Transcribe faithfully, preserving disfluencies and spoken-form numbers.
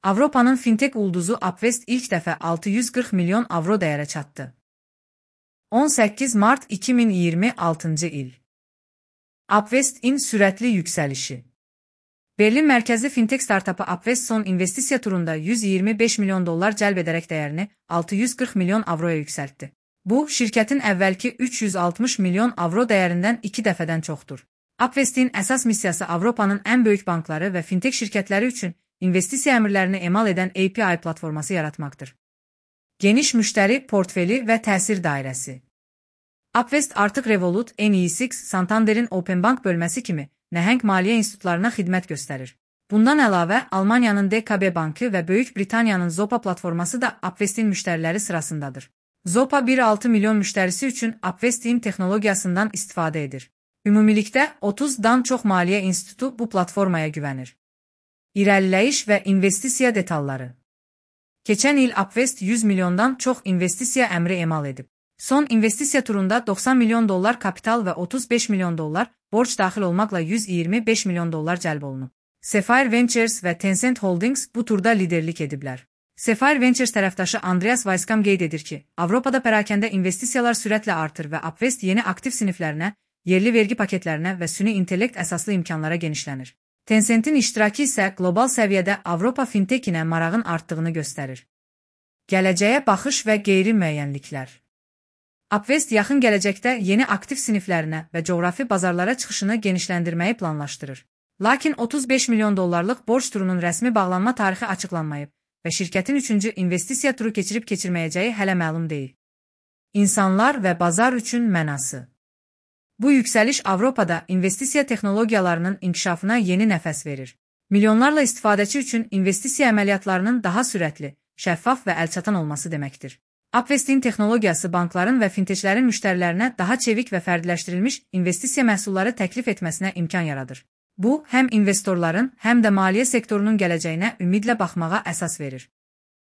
Avropanın fintech ulduzu Upvest ilk dəfə altı yüz qırx milyon avro dəyərə çatdı. on səkkiz mart iki min iyirmi altıncı il. Upvest-in sürətli yüksəlişi. Berlin mərkəzli fintech startapı Upvest son investisiya turunda yüz iyirmi beş milyon dollar cəlb edərək dəyərini altı yüz qırx milyon avroya yüksəltdi. Bu, şirkətin əvvəlki üç yüz altmış milyon avro dəyərindən iki dəfədən çoxdur. Upvest-in əsas missiyası Avropanın ən böyük bankları və fintech şirkətləri üçün investisiya əmrlərini emal edən A P I platforması yaratmaqdır. Geniş müştəri portfeli və təsir dairəsi. Upvest artıq Revolut, N E S X, Santander'in Openbank bölməsi kimi nəhəng maliyyə institutlarına xidmət göstərir. Bundan əlavə, Almaniyanın D K B bankı və Böyük Britaniyanın Zopa platforması da Upvest-in müştəriləri sırasındadır. Zopa bir nöqtə altı milyon müştərisi üçün Upvest-in texnologiyasından istifadə edir. Ümumilikdə otuzdan çox maliyyə institutu bu platformaya güvənir. İrəliləyiş və investisiya detalları. Keçən il Upvest yüz milyondan çox investisiya əmri emal edib. Son investisiya turunda doxsan milyon dollar kapital və otuz beş milyon dollar borc daxil olmaqla yüz iyirmi beş milyon dollar cəlb olunub. Sapphire Ventures və Tencent Holdings bu turda liderlik ediblər. Sapphire Ventures tərəfdaşı Andreas Weisskamp qeyd edir ki, Avropada pərakəndə investisiyalar sürətlə artır və Upvest yeni aktiv siniflərinə, yerli vergi paketlərinə və süni intellekt əsaslı imkanlara genişlənir. Tencent'in iştirakı isə qlobal səviyyədə Avropa fintekinə marağın artdığını göstərir. Gələcəyə baxış və qeyri-müəyyənliklər. Upvest yaxın gələcəkdə yeni aktiv siniflərinə və coğrafi bazarlara çıxışını genişləndirməyi planlaşdırır. Lakin otuz beş milyon dollarlıq borc turunun rəsmi bağlanma tarixi açıqlanmayıb və şirkətin üçüncü investisiya turu keçirib-keçirməyəcəyi hələ məlum deyil. İnsanlar və bazar üçün mənası. Bu yüksəliş Avropada investisiya texnologiyalarının inkişafına yeni nəfəs verir. Milyonlarla istifadəçi üçün investisiya əməliyyatlarının daha sürətli, şəffaf və əlçatan olması deməkdir. Upvest-in texnologiyası bankların və fintechlərin müştərilərinə daha çevik və fərdiləşdirilmiş investisiya məhsulları təklif etməsinə imkan yaradır. Bu, həm investorların, həm də maliyyə sektorunun gələcəyinə ümidlə baxmağa əsas verir.